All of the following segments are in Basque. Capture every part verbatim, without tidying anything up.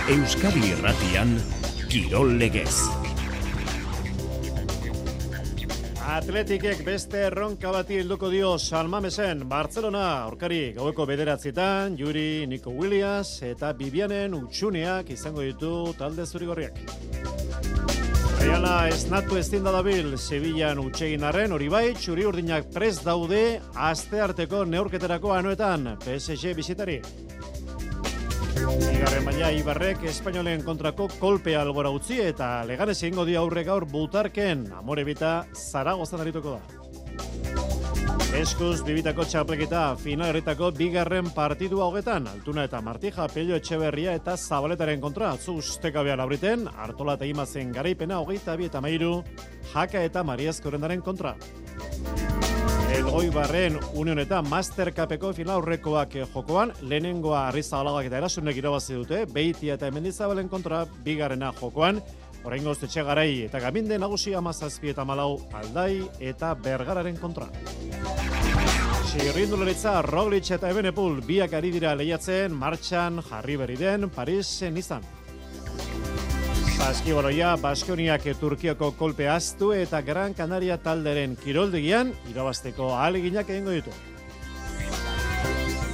Euskadi Irratian, Kirol Legez. Atletikek beste erronka bati helduko dio San Mamesen, Barcelona, aurkari gaueko bederatzietan, Juri, Nico Williams eta Vivianen utxuneak izango ditu talde zurigorriak. Reala esnatu ezin da dabil, Sevillan utxegin arren, hori bai, txuri urdinak prest daude, aste arteko neurketerako anoetan, P S G bisitari. Bigarren maila Ibarrek espainolen kontrako kolpea albora utzi eta Leganez egingo dio aurre gaur Butarken, Amorebita Zaragozan arituko da. Eskuz bibitako txapleketa final herritako bigarren partidua hogetan, Altuna eta Martija, Pello Etxeberria eta Zabaletaren kontra, atzu ustekabean aurriten, Artola eta Imazen garaipena hogeita bi eta mairu, Jaka eta Mariazko Rendaren kontra. Elgoi Barren Union eta Master Cupeko final aurrekoak jokoan, lehenengoa Arrizabalaga eta Erasunek irabazi dute, Beitia eta Mendizabalen kontra bigarrena jokoan, oraingoz Etxegarai eta Gaminde nagusi hamazazpi eta malau Aldai eta Bergararen kontra. Txirrindularitza Roglic eta Ebenepul biak ari dira lehiatzen, martxan jarri berri den Parisen izan. Saskibaloia, Baskoniak Turkiako kolpe aztu eta Gran Canaria talderen kiroldegian irabazteko ahaleginak egingo ditu.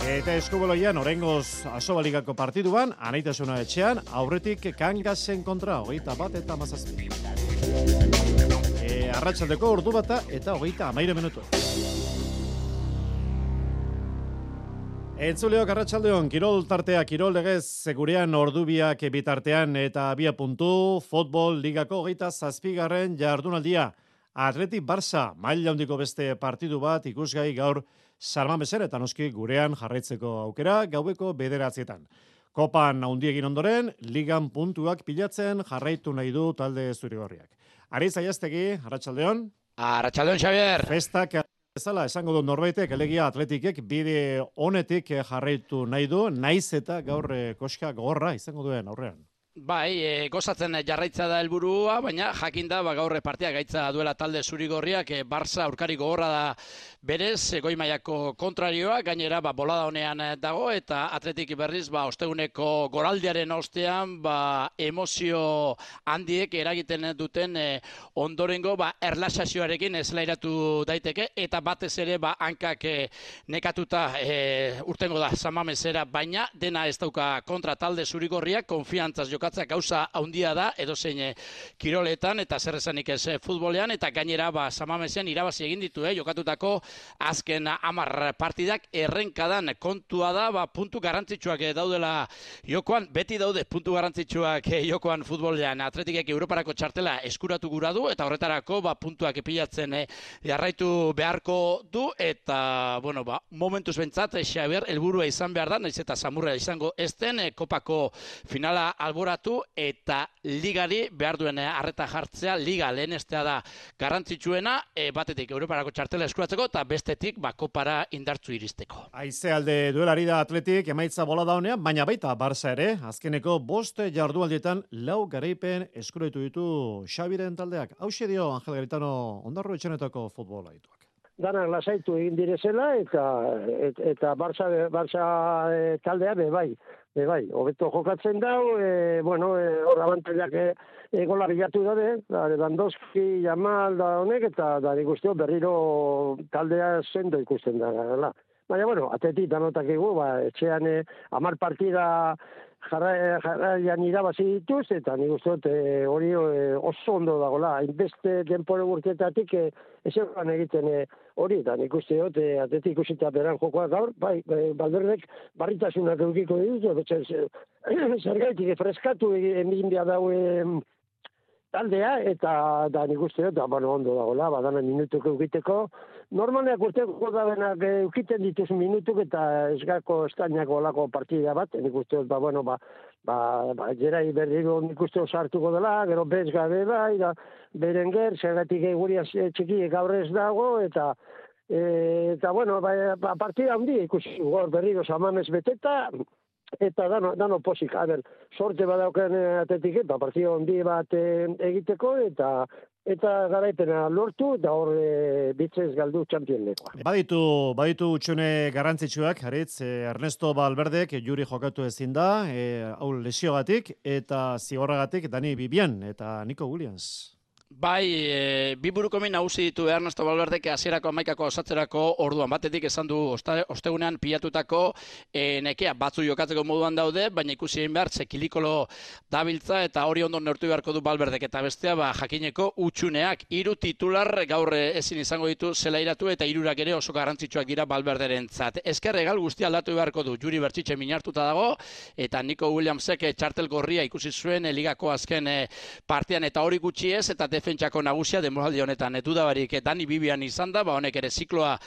Eta eskubaloian, oraingoz Asobaligako partiduan, Anaitasuna etxean, aurretik Kangasen kontra, hogeita bat eta mazazpi. E, arratsaldeko ordu bata eta hogeita amaire minutu. Entzuleok arratsaldeon, kirol tartea, kirol legez, gurean ordubiak bitartean eta bia puntu, futbol ligako hogeita zazpigarren jardunaldia. Atleti Barça, maila handiko beste partidu bat ikusgai gaur San Mamesen eta noski gurean jarraitzeko aukera gaueko bederatzietan. Kopan handi egin ondoren, ligan puntuak pilatzen jarraitu nahi du talde zurigorriak. Ariz Aiaztegi, arratsaldeon. Arratsaldeon, Xavier. Festak ezala, esango du norbaitek, elegia Atletikek bide honetik jarraitu nahi du, naiz eta gaur koska gogorra izango duen aurrean. Bai, e, gozatzen jarraitza da helburua, baina jakin da ba, gaur partia gaitza duela talde zurigorriak, e, Barça aurkari gogorra da berez, e, goi mailako kontrarioa, gainera ba, bolada honean dago, eta Atletik berriz ba, osteguneko goraldiaren ostean ba, emozio handiek eragiten duten e, ondorengo ba, erlaxazioarekin eslairatu daiteke, eta batez ere ba, hankak e, nekatuta e, urtengo da San Mamesera, baina dena ez dauka kontra talde zurigorriak, konfiantzaz jokatzen gauza handia da, edozein e, kiroletan, eta zer esanik ez e, futbolean, eta gainera ba, San Mamesen irabazi egin ditu, eh, jokatutako azken hamar partidak errenkadan kontua da, ba, puntu garrantzitsuak e, daudela jokoan, beti daude puntu garrantzitsuak e, jokoan futbolean. Atletikek Europarako txartela eskuratu gura du, eta horretarako ba, puntuak epilatzen e, jarraitu beharko du, eta bueno, ba, momentuz bentsat, Xabier, helburua izan behar da, naiz eta samurra izango ezten, e, kopako finala albora eta ligari behar duen harreta jartzea, liga lehenestea da garrantzitsuena, e, batetik Europarako txartela eskuratzeko eta bestetik ba, kopara indartzu iristeko. Aize alde duelari da Atletik, emaitza bola da honean, baina baita Barça ere, azkeneko bost jardualdietan lau garaipen eskuratu ditu Xabiren taldeak. Hauxe dio Angel Garitano ondarro etxenetako futbola dituak. Danak lasaitu egin direzela eta et, eta Barça, Barça e, taldea be bai. E, bai, hobeto jokatzen dau, e, bueno, hor e, abantailak e, e, gola bilatu daude, da, Lewandowski, Jamal da honek, eta da ikusteo berriro taldea sendo ikusten da. La. Baina, bueno, atetik danotak egu, ba, etxean e, amar partida jarraian jarra, irabazi dituz, eta nik uste dut hori e, oso ondo dagoela, hainbeste denpore burketatik e, ezean egiten e, hori, eta nik uste dut e, atetik ikusita beran jokoa gaur, bai, e, Balderdek barritasunak eukiko dituz, zergaitik freskatu egin dia daue taldea, eta da nik uste dut, bueno, ondo dagoela, badana minutuk eukiteko, normaleak urteko dabenak eukiten dituz minutuk eta esgako estainako olako partida bat, nik uste dut, ba, bueno, ba, ba, ba jerai berriro nik uste dut sartuko dela, gero bez gabe bai, da, Berenger, zergatik egurian txikiek gaur ez dago, eta e, eta, bueno, ba, ba, partida handi ikusi, gor berriro Samamez beteta, eta dano, dano posik, a ber, sorte badauken Atletik, ba, partida handi bat egiteko, eta eta garaipena lortu, da hor e, bitzez galdu txampionlekoa. Baditu, baditu utxune garrantzitsuak, Aritz, eh, Ernesto Valverdek juri jokatu ezin da, eh, hau lesiogatik, eta zigorragatik Dani Bibian eta Nico Williams. Bai, e, bi burukomin nagusi ditu Ernesto Valverdek hasierako hamaikako osatzerako orduan. Batetik esan du osta, ostegunean pilatutako e, nekea batzu jokatzeko moduan daude, baina ikusi egin behar txekilikolo dabiltza eta hori ondo neurtu beharko du Valverdek. Eta bestea ba, jakineko utxuneak hiru titular gaur ezin izango ditu zelairatu eta hirurak ere oso garrantzitsuak dira Valverderentzat. Ezker egal guztia aldatu beharko du. Juri Bertxitxe minartuta dago eta Nico Williamsek txartel gorria ikusi zuen ligako azken e, partian eta hori gutxi ez eta defentsako nagusia denboraldi honetan dudabarik Dani Bibian izan da, ba honek ere zikloa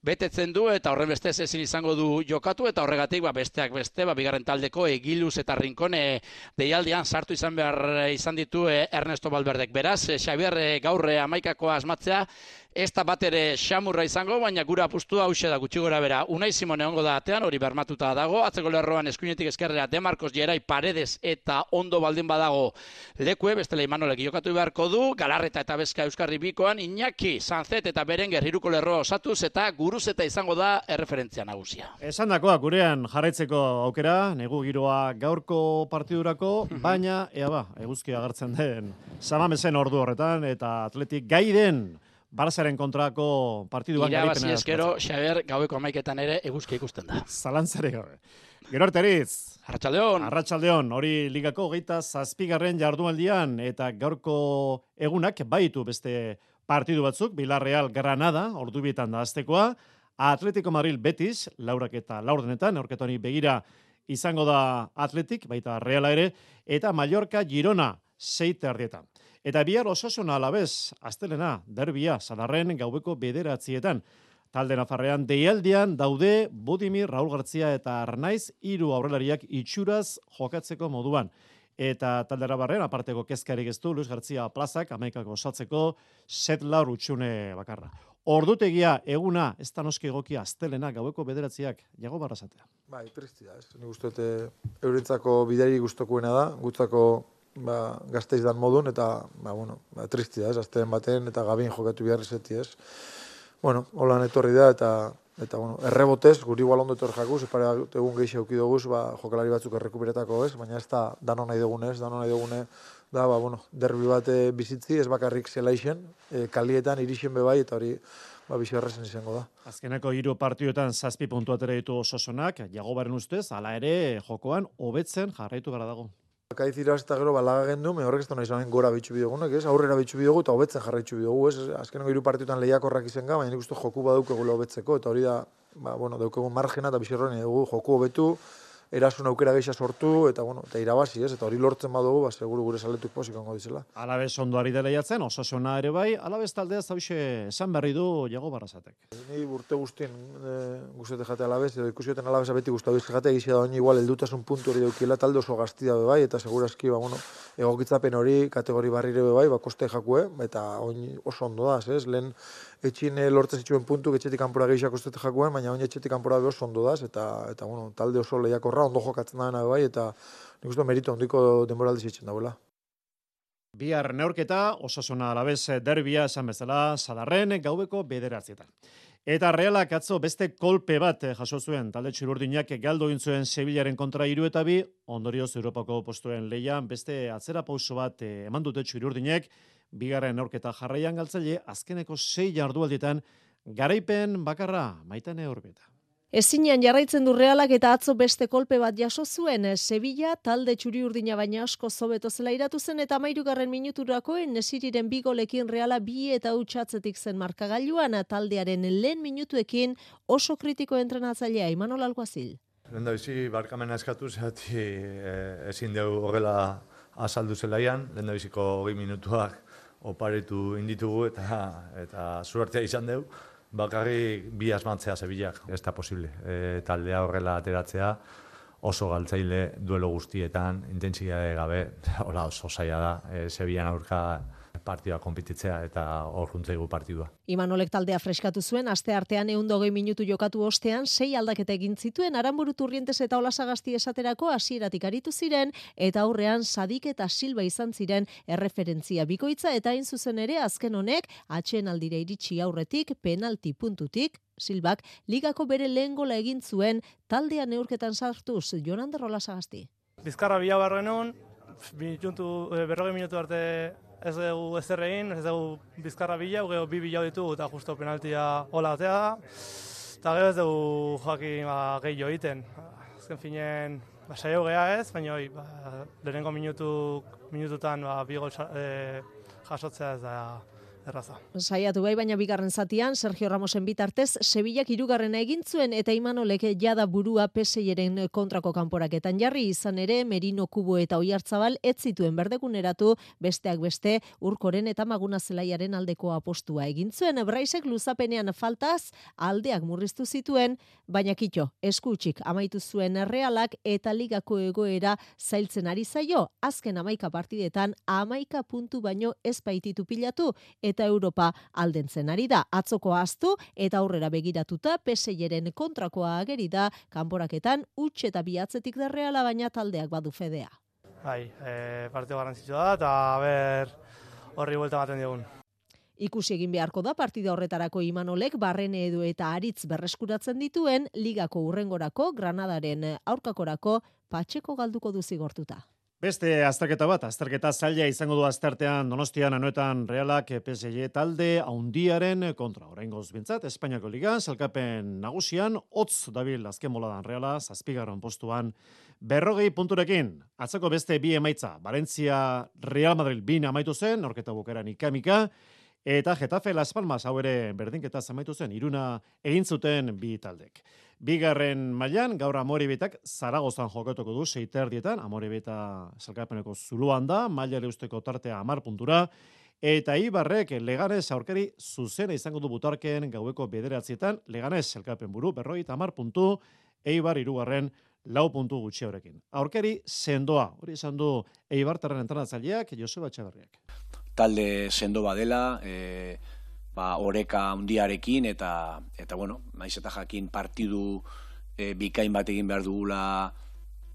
betetzen du eta horren bestez ezin izango du jokatu eta horregatik ba besteak beste ba bigarren taldeko Egiluz eta Rincone deialdian sartu izan behar izan ditu Ernesto Valverdek. Beraz, Xabier gaur hamaikakoa asmatzea ez da bat ere xamurra izango, baina gura apustua hause da gutxi gora bera. Unai Simon egongo da atean, hori bermatuta dago, atzeko lerroan eskuinetik eskerrera De Marcos, Gerai, Paredes eta ondo baldin badago lekue, bestela Imanolek jokatu beharko du, Galarreta eta Bezka Euskarri bikoan, Iñaki, Sanzet eta Berenger hiruko lerroa osatuz eta Guruzeta izango da erreferentzia nagusia. Esan dakoa, gurean jarraitzeko aukera, negu giroa gaurko partidurako, baina, ea ba, eguzkia agertzen den, Samamesen ordu horretan, eta Atletik gai den, Barzaren kontrako partiduan garipena. Irabazi eskero, Xaber, gaueko amaiketan ere eguzkia ikusten da. Zalantzare gabe. Gero Arteriz. Arratsaldeon. Arratsaldeon, hori ligako hogeita zazpigarren jardunaldian eta gaurko egunak baitu beste partidu batzuk, Villarreal Granada, ordubietan da aztekoa, Atletico Madrid Betis, laurak eta laurdenetan, aurketoni begira izango da Atletik, baita Reala ere, eta Mallorca Girona, seite ardietan. Eta bihar Osasuna Alavés, astelena, derbia, Sadarren gaubeko bederatzietan. Talde nafarrean deialdian daude Budimir, Raul Gartzia eta Arnaiz, hiru aurrelariak itxuraz jokatzeko moduan. Eta talde arabarren, aparteko kezkarik ez du, Luis Gartzia plazak, amaikako osatzeko, set laur utxune bakarra. Ordutegia eguna, ez da noski egokia, astelena, gaueko bederatziak, jago barrazatea. Bai, tristi da, ez. Ni guztote eurentzako bidari gustokuena da, gutzako ba, gazteiz dan modun, eta, ba, bueno, ba, tristi da, ez, azten baten, eta gabin jokatu behar izeti, ez. Bueno, holan etorri da, eta, eta bueno, errebotez, guri igual ondo etorri jakuz, epare egun gehi xeuki duguz, ba, jokalari batzuk errekuperetako, ez, baina ez da dano nahi dugune, ez, dano nahi dugune, da, ba, bueno, derbi bat e, bizitzi, ez bakarrik zela isen, e, kalietan, irixen bebai, eta hori, ba, bizi berrezen izango da. Azkeneko hiru partioetan zazpi puntu atera ditu Osasunak, Jagobaren ustez, hala ere, jokoan, hobetzen jarraitu gara dago. Kaiz iraz eta gero balaga gendu, me horrek ez da nahi zanen gora bitxu bidegunak, ez? Aurrera bitxu bidegu eta hobetzen jarraitxu bidegu, ez? Azkeneko hiru partiotan lehiakorrak izen ga, baina nik uste joku badaukegula hobetzeko, eta hori da, ba, bueno, daukegun margena eta bizirroen dugu joku hobetu, erasun aukera geixa sortu, eta, bueno, eta irabazi, ez? Eta hori lortzen badugu, ba, seguru gure saletuk pozik ongo dizela. Alabez ondo ari dela jatzen, Osasuna ere bai, Alabez taldea zauxe esan berri du Jago Barrazatek. Ni urte guztien e, guztiete jate Alabez, edo ikusioten Alabeza beti guztatu izte jate, egizia da honi igual eldutasun puntu hori daukila, talde oso gaztia be bai, eta segurazki, ba, bueno, egokitzapen hori, kategori barrire be bai, ba, koste jakue, eta honi oso ondo da, ez? Lehen etxin lortzen zituen puntu, etxetik kanpora gehiago kostete jakuen, baina honi etxetik kanpora be oso ondo da, eta, eta bueno, talde oso lehiakorra, ondo jokatzen da dena be bai, eta nik uste merito ondiko denboraldi zitzen dauela. Bihar neurketa, Osasuna Alabez derbia esan bezala, Sadarren gaubeko bederatzietan. Eta Realak atzo beste kolpe bat jaso zuen, talde txururdinak galdu egin zuen Sevillaren kontra hiru eta bi, ondorioz Europako postuen lehian beste atzera pauso bat eman dute txururdinek, bigarren neurketa jarraian galtzaile, azkeneko sei jardualdietan garaipen bakarra Maitane Urbieta. Ezinean jarraitzen du Realak eta atzo beste kolpe bat jaso zuen, Sevilla talde txuri-urdina baina asko zobeto zela iratu zen eta hamairugarren minuturako Nesiriren bi golekin Reala bi eta hutsatzetik zen markagailuan, taldearen lehen minutuekin oso kritiko entrenatzailea Imanol Alguazil. Lehendabizi barkamena eskatu zehati e, ezin dugu horrela azaldu zelaian, lehendabiziko hogei minutuak oparitu inditugu eta, eta zuertea izan dugu. Bakarrik bi asmatzea Sevillak, ez da posible. E, taldea horrela ateratzea oso galtzaile duelo guztietan, intentsitate gabe, hola oso zaila da. E, Sevillan aurka partidua konpetitzea eta hor juntzaigu partidua. Imanolek taldea freskatu zuen, aste artean ehun eta hogei minutu jokatu ostean, sei aldaketa egin zituen, Aranburu Turrientes eta Olasagasti esaterako hasieratik aritu ziren, eta aurrean Sadik eta Silva izan ziren erreferentzia bikoitza, eta hain zuzen ere azken honek, atsedenaldira iritsi aurretik, penalti puntutik, Silbak ligako bere lehen gola egin zuen, taldea neurketan sartuz, Jonander Olasagasti. Bizkarra bila barrenun, berrogei minutu arte ez dugu ezer egin, ez dugu bizkarra bila, gero bi bila ditugu eta justo penaltia hola atea da. Eta gero ez dugu jakin ba, gehiago egiten. Azken finen, ba, saio geha ez, baina hoi, ba, lehenengo minutu, minututan ba, bi gol e, jasotzea ez da erraza. Saiatu bai, baina bigarren zatian, Sergio Ramosen bitartez, Sevillak hirugarrena egin zuen eta Imanolek jada burua P S Iren kontrako kanporaketan jarri, izan ere Merino, Kubo eta Oiartzabal ez zituen berdeguneratu, besteak beste Urkoren eta Maguna Zelaiaren aldeko apostua egin zuen. Braisek luzapenean faltaz aldeak murriztu zituen, baina kitxo, eskutsik amaitu zuen Realak eta ligako egoera zailtzen ari zaio, azken hamaika partidetan hamaika puntu baino ez baititu pilatu, eta Europa aldentzen ari da. Atzoko ahaztu eta aurrera begiratuta P S Iren kontrakoa ageri da, kanporaketan huts eta bihatzetik da Reala, baina taldeak badu fedea. Bai, e, partio garrantzitsua da, eta ber horri buelta ematen digun. Ikusi egin beharko da partida horretarako Imanolek Barrene edo eta Aritz berreskuratzen dituen, ligako hurrengorako, Granadaren aurkakorako Patxeko galduko du zigortuta. Beste azterketa bat, azterketa zaila izango du aztertean Donostian Anoetan Realak P S J talde haundiaren kontra. Oraingoz bintzat, Espainiako Ligan, salkapen nagusian, hotz dabil azken boladan Reala, zazpigarren postuan, berrogei punturekin. Atzako beste bi emaitza, Valencia Real Madrid bin amaitu zen, aurketa bukaeran ikamika, eta Getafe Las Palmas hau ere berdinketa amaitu zen, iruna egin zuten bi taldek. Bigarren mailan gaur Amorebitak Zaragozan jokatuko du seiterdietan, Amorebita salkapeneko zuluan da, mailare usteko tartea hamar puntura, eta Ibarrek Leganez aurkari zuzena izango du butarken gaueko bederatzietan, Leganez salkapen buru berrogeita hamar puntu, Eibar hirugarren lau puntu gutxi horrekin. Aurkari sendoa, hori izan du Eibartarren entrenatzaileak Joseba Etxeberriak. Talde sendo badela, e... ba, oreka handiarekin eta eta bueno, naiz eta jakin partidu e, bikain bat egin behar dugula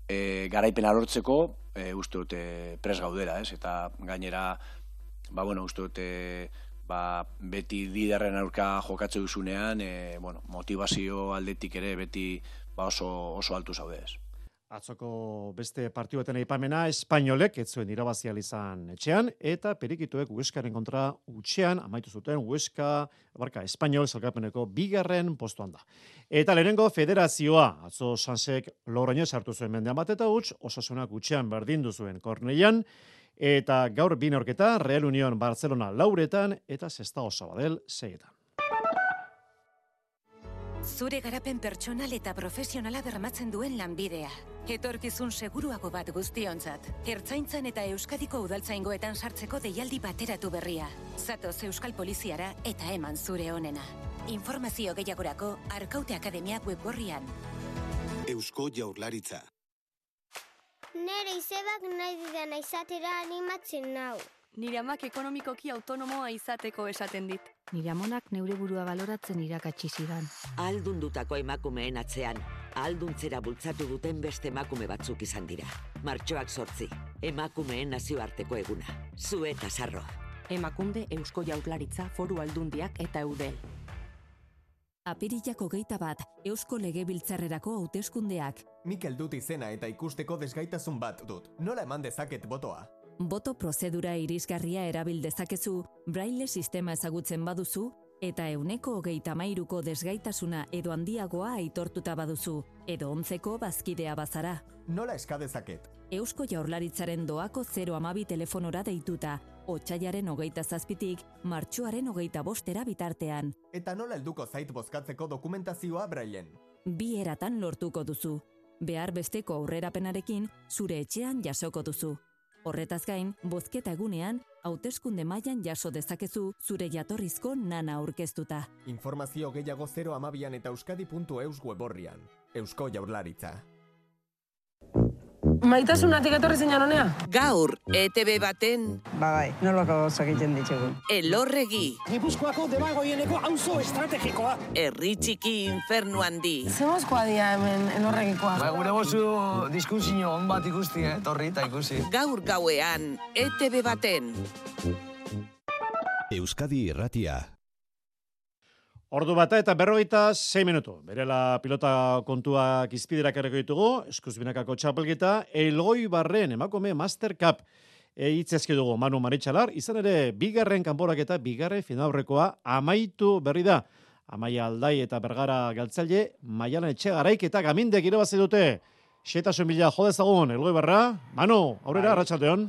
e, garaipena lortzeko, e, uste dute pres gaudela, ez? Eta gainera, ba bueno, uste dute ba, beti liderren aurka jokatze duzunean, e, bueno, motivazio aldetik ere beti ba, oso oso altu zaude, ez? Atzoko beste partiduen aipamena Espainolek ez zuen irabazi ahal izan etxean eta Perikituek Hueskaren kontra hutsean amaitu zuten Hueska, barka Espainol salkapeneko bigarren postuan da. Eta lehenengo federazioa, atzo Sansek Logroñez hartu zuen mendean bat eta huts, Osasunak hutsean berdindu zuen Korneian, eta gaur bi neurketa Real Unión Barcelona lauretan eta Sestao Sabadell seietan. Zure garapen pertsonal eta profesionala bermatzen duen lanbidea. Etorkizun seguruago bat guztiontzat. Ertzaintzan eta Euskadiko udaltzaingoetan sartzeko deialdi bateratu berria. Zatoz Euskal Poliziara eta eman zure onena. Informazio gehiagorako Arkaute Akademia webgorrian. Eusko Jaurlaritza. Nere izebak nahi didana izatera animatzen nau. Nire amak ekonomikoki autonomoa izateko esaten dit. Nire amonak neure burua baloratzen irakatsi zidan. Ahaldundutako emakumeen atzean, ahalduntzera bultzatu duten beste emakume batzuk izan dira. Martxoak sortzi, emakumeen nazioarteko eguna. Zu eta Sarro. Emakunde, Eusko Jaurlaritza, Foru Aldundiak eta Eudel. Apirilak hogeita bat, Eusko Legebiltzarrerako hauteskundeak. Mikel dut izena eta ikusteko desgaitasun bat dut. Nola eman dezaket botoa? Boto prozedura irisgarria erabil dezakezu, braille sistema ezagutzen baduzu, eta euneko hogeita hamairuko desgaitasuna edo handiagoa aitortuta baduzu, edo ontzeko bazkidea bazara. Nola eska dezaket? Eusko Jaurlaritzaren doako zero hamabi telefonora deituta, otsailaren hogeita zazpitik, martxoaren hogeita bostera bitartean. Eta nola helduko zait bozkatzeko dokumentazioa brailen? Bi eratan lortuko duzu. Behar besteko aurrerapenarekin zure etxean jasoko duzu. Horretaz gain, bozketa egunean, hauteskunde mailan jaso dezakezu zure jatorrizko nana aurkeztuta. Informazio gehiago zero hamabian eta euskadi puntu eus weborrian. Eusko Jaurlaritza. Maitasunatik etorri zinan honea? Gaur, E T B baten... Ba bai, nolako gauzak egiten ditugu. Elorregi. Gipuzkoako debagoieneko auzo estrategikoa. Herri txiki infernu handi. Zemozkoa dia hemen elorregikoa. Ba, gure bozu diskusio on bat ikusti, eh? Torri eta ikusi. Gaur gauean, E T B baten. Euskadi Irratia. Ordu bata eta berrogeita sei minutu. Berela pilota kontuak izpiderak erreko ditugu, eskuzbinakako txapelketa, Elgoi Barren emakume Master Cup e, itzezke dugu Manu Maritxalar, izan ere bigarren kanporaketa, bigarren finaurrekoa amaitu berri da. Amaia Aldai eta Bergara galtzaile, Maialan Etxegaraik eta Gamindek irabazi dute. Xetasun bila jodezagun, Elgoi Barra. Manu, aurrera, arratsaldeon.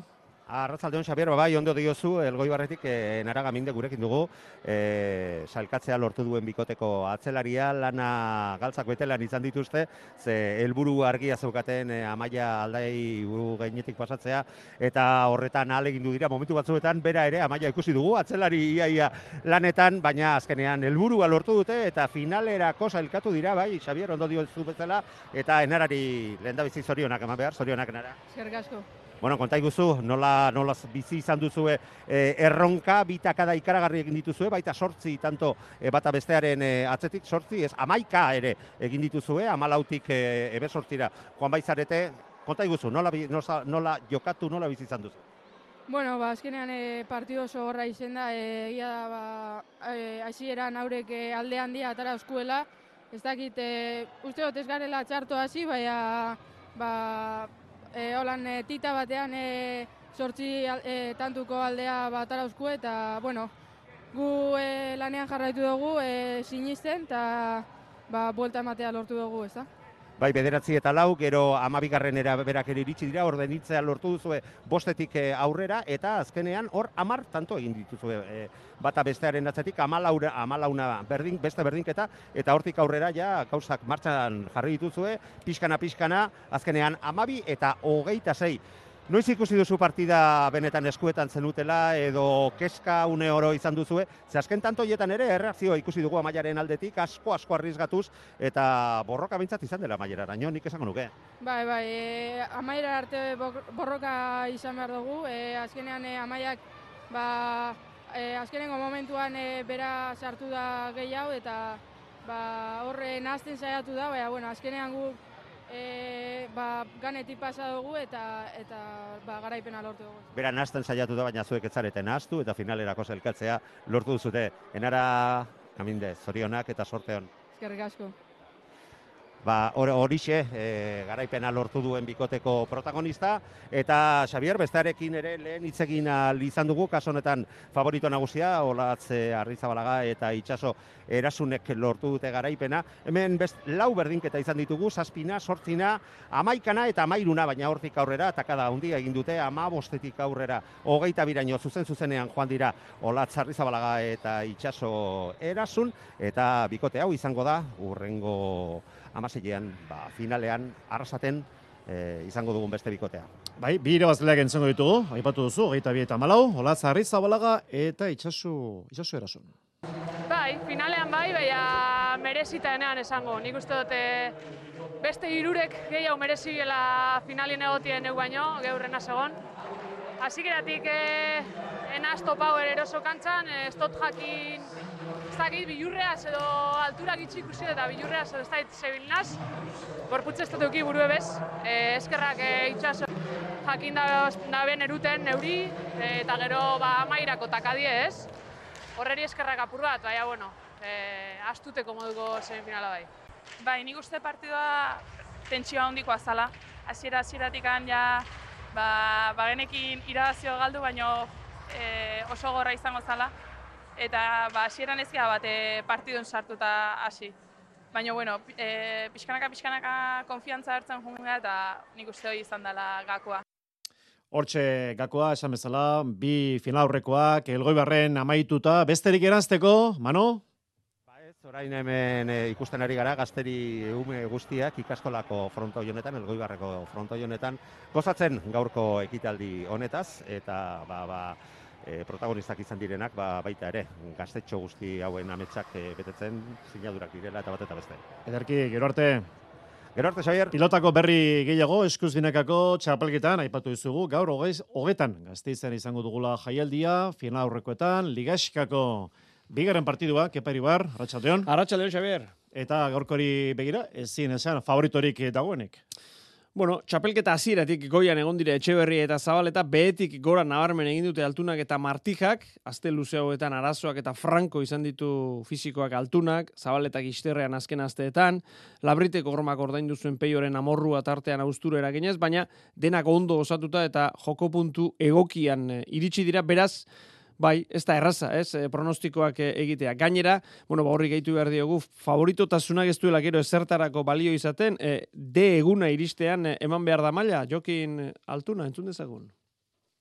Arratsaldeon Xabier, bai, ondo diozu, Elgoi Barretik e, Nara Gaminde gurekin dugu, e, salkatzea lortu duen bikoteko atzelaria, lana galtzak betelan izan dituzte, ze helburu argia zeukaten e, Amaia Aldai buru gainetik pasatzea, eta horretan ahalegindu dira momentu batzuetan, bera ere Amaia ikusi dugu, atzelari iaia lanetan, baina azkenean helburua lortu dute, eta finalerako sailkatu dira, bai, Xabier, ondo diozu bezala, eta Enarari lehendabizi zorionak eman behar, zorionak Enara. Eskerrik asko. Bueno, konta iguzu, nola, nola bizi izan duzue eh, erronka, bitakada ikaragarri egin dituzue, baita sortzi tanto eh, bata bestearen eh, atzetik, sortzi, ez amaika ere egin dituzue, amalautik eh, ebe sortzira joan baizarete, konta iguzu, nola, nola, nola jokatu, nola bizi izan duzu? Bueno, ba, azkenean e, partido oso horra izen da, egia e, da, ba, e, hasieran haurek e, alde handia atara oskuela, ez dakit, e, uste dut ez garela txarto hasi, baina, ba, E, holan e, tita batean e, sortzi e, tantuko aldea batara uzku eta, bueno, gu e, lanean jarraitu dugu e, sinisten eta ba, buelta ematea lortu dugu, ez da? Bai, bederatzi eta lau, gero amabigarrenera berak ere iritsi dira, ordenitzea lortu duzue bostetik aurrera, eta azkenean hor amar tanto egin dituzue e, bata bestearen atzetik, amalaura, amalauna berdin, beste berdinketa, eta hortik aurrera ja gauzak martxan jarri dituzue, pixkana-pixkana, azkenean amabi eta hogeita sei. Noiz ikusi duzu partida benetan eskuetan zenutela edo keska une oro izan duzue, ze azken tantoietan ere erreakzioa ikusi dugu Amaiaren aldetik, asko-asko arrizgatuz, eta borroka bintzat izan dela Amaieraraino, nik esango nuke. Bai, bai, e, Amaiera arte borroka izan behar dugu, e, azkenean e, Amaiak, ba, e, azkenengo momentuan e, bera sartu da gehiago, eta ba, horre nahazten saiatu da, baina, bueno, azkenean gu E, ba, ganetik pasa dugu eta, eta ba, garaipena lortu dugu. Bera nahazten saiatu da, baina zuek ez zarete nahaztu eta finalerako zelkatzea lortu duzute. Enara, Gaminde, zorionak eta sorteon. Eskerrik asko. Ba, horixe, e, garaipena lortu duen bikoteko protagonista, eta Xabier, bestearekin ere lehen hitz egin ahal izan dugu, kaso honetan favorito nagusia, Olatz Arrizabalaga eta Itxaso Erasunek lortu dute garaipena. Hemen best, lau berdinketa izan ditugu, zazpina, sortzina, amaikana eta amairuna, baina hortik aurrera, takada handia egin dute, ama bostetik aurrera, hogeita biraino zuzen-zuzenean joan dira Olatz Arrizabalaga eta Itxaso Erasun, eta bikote hau izango da, urrengo amaseilean, ba, finalean, arrasaten e, izango dugun beste bikotea. Bai, bi irabazleak entzango ditugu, aipatu duzu, hogeita bi eta hamalau, Olatz Arrizabalaga eta Itxaso, Itxaso Erasun. Bai, finalean bai, baina merezita enean esango. Nik uste dute beste hirurek gehiago mereziela finalien egotien egu baino, geurrena segon. Hasikeratik eh, enaz topau eroso kantzan, ez dut jakin, ez dakit, bilurreaz edo alturak itxik ikusi eta bilurreaz edo ez dakit zebilinaz. Gorputz ez dut euki buru ebez, eh, eskerrak eh, Itxaso jakin da, da ben eruten neuri, eh, eta gero ba, amairako takadie ez. Horreri eskerrak apur bat, baina, bueno, eh, astuteko moduko semifinala bai. Bai, nik uste partidua tentsioa handikoa zala. Hasiera-hasieratik ja, ba, bagenekin irabazio galdu, baino e, oso gorra izango zala. Eta ba, hasieran ez gara bat e, partidun sartuta hasi. Baina, bueno, e, pixkanaka-pixkanaka konfiantza hartzen jungea eta nik uste hori izan dela gakoa. Hortxe gakoa, esan bezala, bi finalaurrekoak, Elgoi Barren amaituta, besterik eranzteko, Manu? Ba ez, orain hemen e, ikusten ari gara, gazteri ume guztiak ikaskolako fronto honetan, Elgoi Barreko fronto honetan, gozatzen gaurko ekitaldi honetaz, eta ba, ba, e, protagonistak izan direnak, ba, baita ere, gaztetxo guzti hauen ametsak e, betetzen, sinadurak direla eta bat eta beste. Ederki, gero arte. Gero arte, Xabier. Pilotako berri gehiago, eskuz binakako txapelketan, aipatu dizugu, gaur hogeiz, hogetan, Gasteizen izango dugula jaialdia, final aurrekoetan, ligaxkako bigarren partidua, Kepa Iribar, Arratsaldeon. Arratsaldeon, Xabier. Eta gaurkori begira, ezin esan, favoritorik dagoenik. Bueno, txapelketa hasieratik goian egon dire Etxeberria eta Zabaleta, behetik gora nabarmen egin dute Altunak eta Martijak, azte luze hauetan arazoak eta franko izan ditu fisikoak Altunak, Zabaletak isterrean azken asteetan, Labriteko hormak ordaindu zuen Peioren amorrua tartean austura eraginez, baina denak ondo osatuta eta joko puntu egokian iritsi dira, beraz, bai, ez da erraza, ez, e, pronostikoak egitea. Gainera, bueno, ba horri gehitu behar diogu, favoritotasunak ez duela gero ezertarako balio izaten, e, de eguna iristean e, eman behar da maila, Jokin Altuna, entzun dezagun.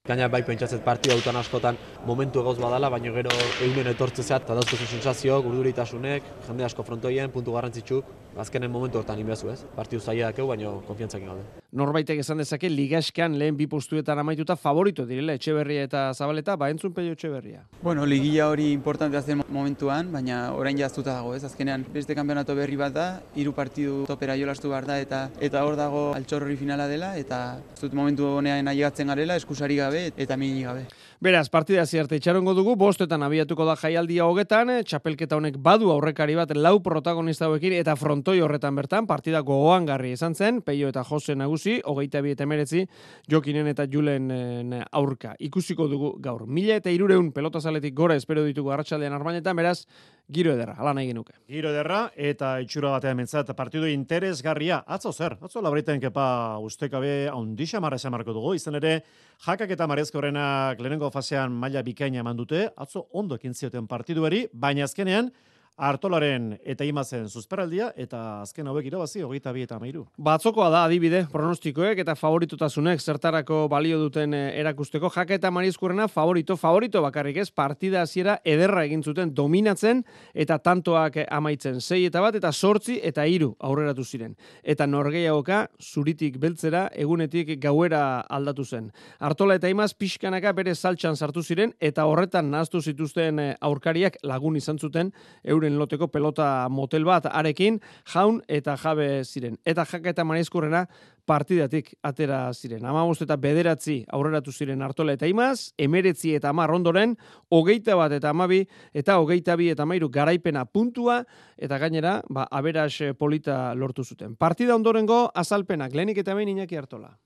Gaina bai pentsatzet partida autan askotan momentu egoz badala, baina gero egunen etortze zeat, eta dauzkozu sensazio, urduritasunek, jende asko frontoien, puntu garrantzitsuk, azkenen momentu hortan inbezu ez. Partidu zaila dakeu, baina konfiantzakin gaude. Norbaitek esan dezake, ligaskan lehen bi postuetan amaituta favorito direla Etxeberria eta Zabaleta, ba entzun Peio Etxeberria. Bueno, ligilla hori importantea zen momentuan, baina orain jaztuta dago ez. Azkenean beste kanpeonato berri bat da, hiru partidu topera jolastu behar da, eta eta hor dago altxorri finala dela, eta ez dut momentu honean ailegatzen garela, eskusari gabe eta mini gabe. Beraz, partida ziarte itxarongo dugu, bostetan abiatuko da jaialdia hogetan, txapelketa honek badu aurrekari bat lau protagonista hauekin eta frontoi horretan bertan, partida gogoangarri izan zen, Peio eta Jose nagusi, hogeita bi eta emeretzi, Jokinen eta Julen aurka. Ikusiko dugu gaur. Mila eta irureun pelotazaletik gora espero ditugu arratsaldean Armainetan, beraz, giro ederra, ala nahi genuke. Giro ederra eta itxura batean mentzat partidu interesgarria. Atzo zer, atzo Labriten Kepa ustekabe ondixa marra esan marko dugu, izan ere, Jakak eta Marezkorrenak lehenengo fasean maila bikaina eman dute, atzo ondo ekin zioten partiduari, baina azkenean, Artolaren eta Imazen zuzperaldia eta azken hauek irabazi hogeita bi eta hamairu. Batzokoa da adibide, pronostikoek eta favoritotasunek zertarako balio duten erakusteko. Jaka eta Marizkurrena favorito, favorito bakarrik ez, partida hasiera ederra egin zuten dominatzen eta tantoak amaitzen. Sei eta bat eta sortzi eta hiru aurreratu ziren. Eta norgehiagoka zuritik beltzera egunetik gauera aldatu zen. Artola eta Imaz pixkanaka bere saltxan sartu ziren eta horretan nahaztu zituzten aurkariak lagun izan zuten euren loteko pelota motel bat arekin, jaun eta jabe ziren. Eta Jaka eta Marizkurrena partidatik atera ziren. Hamabost eta bederatzi aurreratu ziren Artola eta Imaz, emeretzi eta hamar ondoren, hogeita bat eta hamabi eta hogeita bi eta hamairu garaipena puntua, eta gainera, ba, aberas polita lortu zuten. Partida ondorengo azalpenak, lehenik eta behin Iñaki Artola.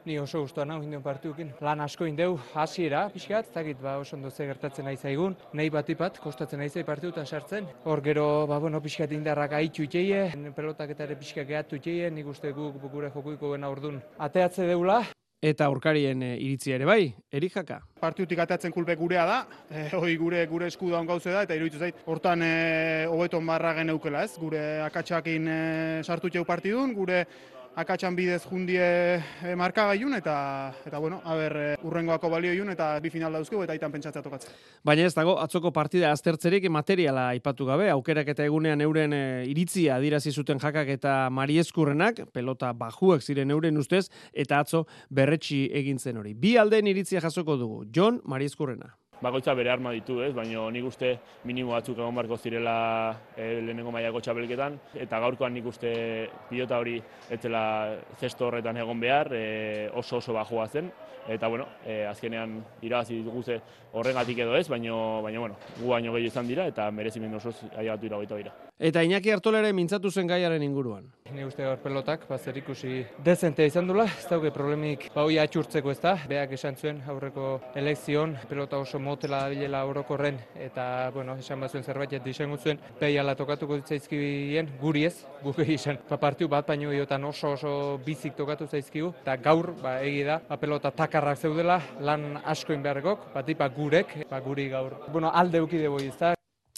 Ni oso gustuan hau induen partidukin. Lan asko indeu, hasiera pixkat, ez dakit, ba, oso ondo ze gertatzen nahi zaigun. Nahi batipat, kostatzen nahi zai partidutan sartzen. Hor gero, ba, bueno, pixkat indarrak ahitu iteie, pelotak eta ere pixkat gehatu iteie, nik uste guk gure jokuiko gena ordun ateatze deula. Eta aurkarien e, iritzia ere bai, Erik Jaka. Partidutik ateatzen kulpe gurea da, e, hoi gure gure esku daun gauze da, eta iruditu zait, hortan e, hobeton barra geneukela ez, gure akatsakin e, sartu txeu partidun, gure akatsan bidez jundie e, markagailun, eta, eta bueno, haber, e, urrengoako balioiun, eta bi final dauzkegu, eta aitan pentsatzea tokatzen. Baina ez dago, atzoko partida aztertzerik materiala aipatu gabe, aukerak eta egunean euren e, iritzia adirazi zuten Jakak eta Mariezkurrenak, pelota bajuak ziren euren ustez, eta atzo berretsi egin zen hori. Bi aldeen iritzia jasoko dugu, Jon Mariezkurrena. Bakoitza bere arma ditu, ez, baina nik uste minimo batzuk egon barko zirela e, lehenengo mailako txapelketan, eta gaurkoan nik uste pilota hori etzela zesto horretan egon behar, e, oso oso bajua zen, eta bueno, e, azkenean irabazi ditugu horrengatik edo ez, baina, baina bueno, gu baino gehiago izan dira, eta merezimendu osoz ailegatu iragoita dira. Eta Iñaki Artola ere mintzatu zen gaiaren inguruan. Ni uste hor pelotak, ba, zer ikusi dezente izan dula, ez dauke problemik ba hoi atxurtzeko ez da, beak esan zuen aurreko elekzion, pelota oso motela bilela orokorren, eta, bueno, esan bazuen zerbait izango zuen, behiala tokatuko ditzaizkibien, guri ez, guk izan, ba, partiu bat baino iotan oso oso bizik tokatu zaizkigu, eta gaur, ba, egi da, ba, pelota takarrak zeudela, lan askoin beharrekok, bat ipa gurek, ba, guri gaur, bueno, alde eukide boi ez da.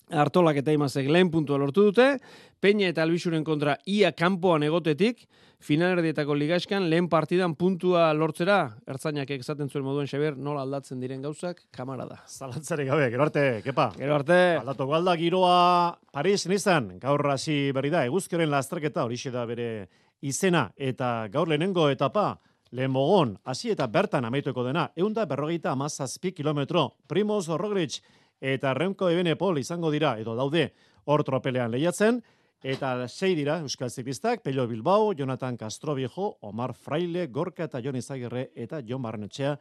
Artolak eta Imazek lehen puntua lortu dute, Peña eta Albixuren kontra ia kanpoan egotetik, finalerdietako ligaskan lehen partidan puntua lortzera, ertzainak esaten zuen moduen Xabier, nola aldatzen diren gauzak, kamara da. Zalantzare gabe, gero arte, Kepa. Gero arte. Aldatuko alda giroa Paris nizan, gaur hasi berri da, eguzkeren lasterketa horixe da bere izena, eta gaur lehenengo etapa, lehen mogon, hasi eta bertan amaituko dena, eunda berrogeita amazazpi kilometro, Primoz Roglic eta Remco Evenepoel izango dira, edo daude hor tropelean lehiatzen, Eta sei dira Euskal Ziklistak, Pello Bilbao, Jonathan Castroviejo, Omar Fraile, Gorka eta Jon Izagirre eta Jon Barrenetxea.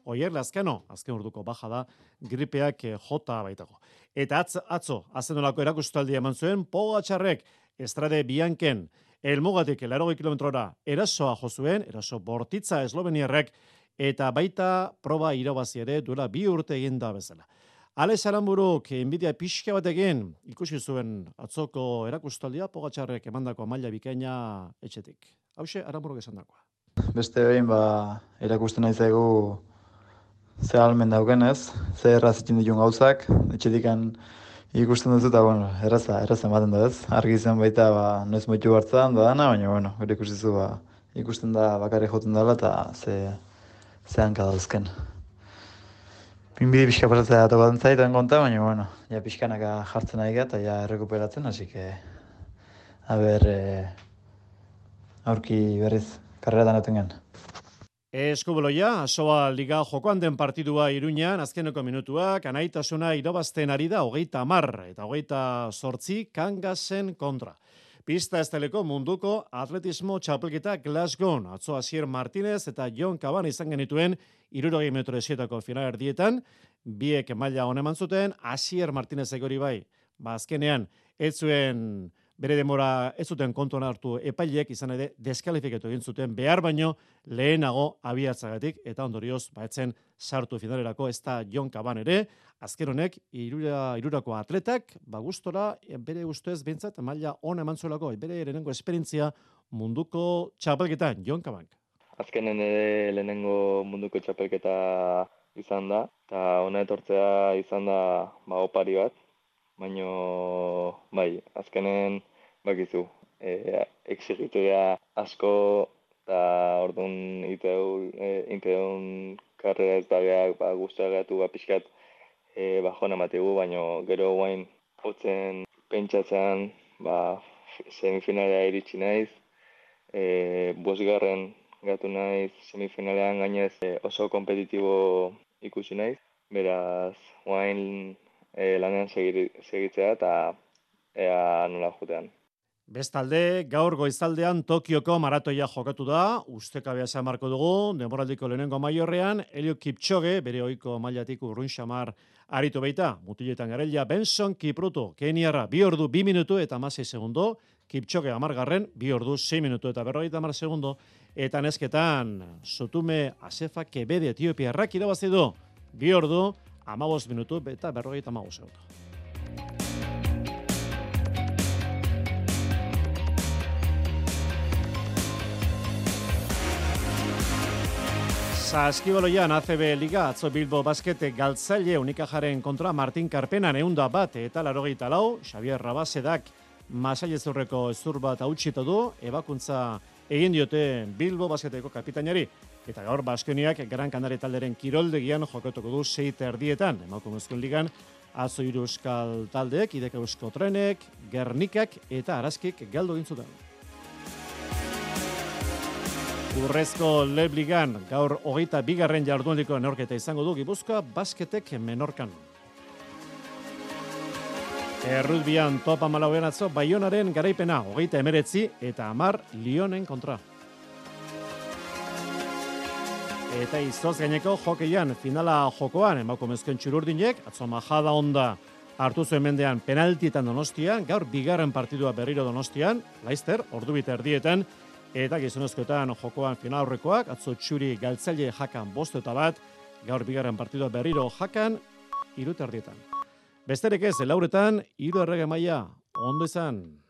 Oier Lazkano, azken urduko baja da, gripeak jota baitago. Eta atz, atzo, azenolako erakustaldia eman zuen, Pogačarrek, Estrade Bianken, Elmugatik larogei kilometrora erasoa jo zuen, eraso bortitza esloveniarrek, eta baita proba irabazi ere duela bi urte egin da bezala. Alex Aranburuk, inbidia pixka batekin, ikusi zuen atzoko erakustaldia, Pogačarrek emandako maila bikaina etxetik. Hauxe, Aranburuk esan dakoa. Beste behin, ba, erakusten nahi zaigu ze almen daukenez, ze erraz itxin ditun gauzak, etxetikan ikusten duzu eta, bueno, erraza, erraza ematen da ez. Argi izan baita, ba, noiz moitu hartzen da dana, baina, bueno, gure ikustizu, ba, ikusten da bakarri joten dela eta ze, ze hanka dauzken. Pinbide pixka pasatzea tokatzen zaiten konta, baina, bueno, ja pixkanaka jartzen nahi eta ja errekuperatzen, hasi que, a ber, eh, aurki berriz, karreretan euten gen. Eskubuloia, Asoa Liga jokoan den partidua Iruñan, azkeneko minutuak, anaitasuna irabazten ari da hogeita hamar eta hogeita zortzi Kangasen kontra. Pista esteleko munduko atletismo txapelketa Glasgow, atzo Asier Martinez eta Jon Kaban izan genituen hirurogei metro esietako final erdietan, biek maila honeman zuten, Asier Martinez egori bai, ba azkenean, ez zuen bere demora ez zuten kontuan hartu epaileek izan ere deskalifikatu egin zuten behar baino lehenago abiatzagatik eta ondorioz baetzen sartu finalerako ez da Jon Kaban ere, azken honek irura, irurako atletak ba gustora bere ustez behintzat maila on eman zuelako bere lehenengo esperientzia munduko txapelketan Jon Kaban. Azkenen ere lehenengo munduko txapelketa izan da eta ona etortzea izan da ba opari bat. Baino, bai, azkenen, bakizu, e, exigitua asko, eta orduan inteun karrera ez bageak, ba, guztiagatu, ba, pixkat, e, bajona mategu, baino, gero guain, hotzen pentsatzean, ba, semifinalea iritsi naiz, e, bosgarren gatu naiz, semifinalean gainez e, oso kompetitibo ikusi naiz, beraz, guain, E, lanean segitzea eta ea nola jutean. Bestalde, gaur goizaldean Tokioko maratoia jokatu da, ustekabea esan marko dugu, denboraldiko lehenengo maiorrean, Eliud Kipchoge, bere ohiko mailatik urrun xamar aritu baita, mutiletan garelia Benson Kipruto, Keniarra, bi ordu, bi minutu eta amasei segundo, Kipchoge amargarren, bi ordu, sei minutu eta berrogeita amar segundo, eta nesketan, Sotume Asefa Kebede Etiopiarrak irabazi du, bi ordu, amabost minutu eta berrogeita amabost segundo. Saskibaloian A C B Liga, atzo Bilbo Baskete galtzaile Unikajaren kontra Martin Karpenan eunda bat eta larogeita lau, Xavier Rabasedak masailezurreko ezur bat hautsita du, ebakuntza egin diote Bilbo Basketeko kapitainari. Eta gaur Baskoniak Gran Canaria talderen kiroldegian jokatuko du sei erdietan. Emakumezkoen ligan atzo hiru euskal taldeek, Ideka Eusko Trenek, Gernikak eta Araskik galdu egin zuten. Urrezko Leb Ligan gaur hogeita bigarren jardunaldiko neorketa izango du Gipuzkoa Basketek Menorkan. Errutbian topa malauean atzo Baionaren garaipena hogeita emeretzi eta hamar Lionen kontra. Eta izoz gaineko jokeian finala jokoan emakumezkoen txururdinek, atzo Majada Onda hartu zuen mendean penaltietan Donostian, gaur bigarren partidua berriro Donostian, Laizter, ordubita erdietan, eta gizonezkoetan jokoan final aurrekoak, atzo txuri galtzaile jakan bost eta bat, gaur bigarren partidua berriro jakan, irut erdietan. Besterik ez, lauretan, hiru errege maila, ondo izan.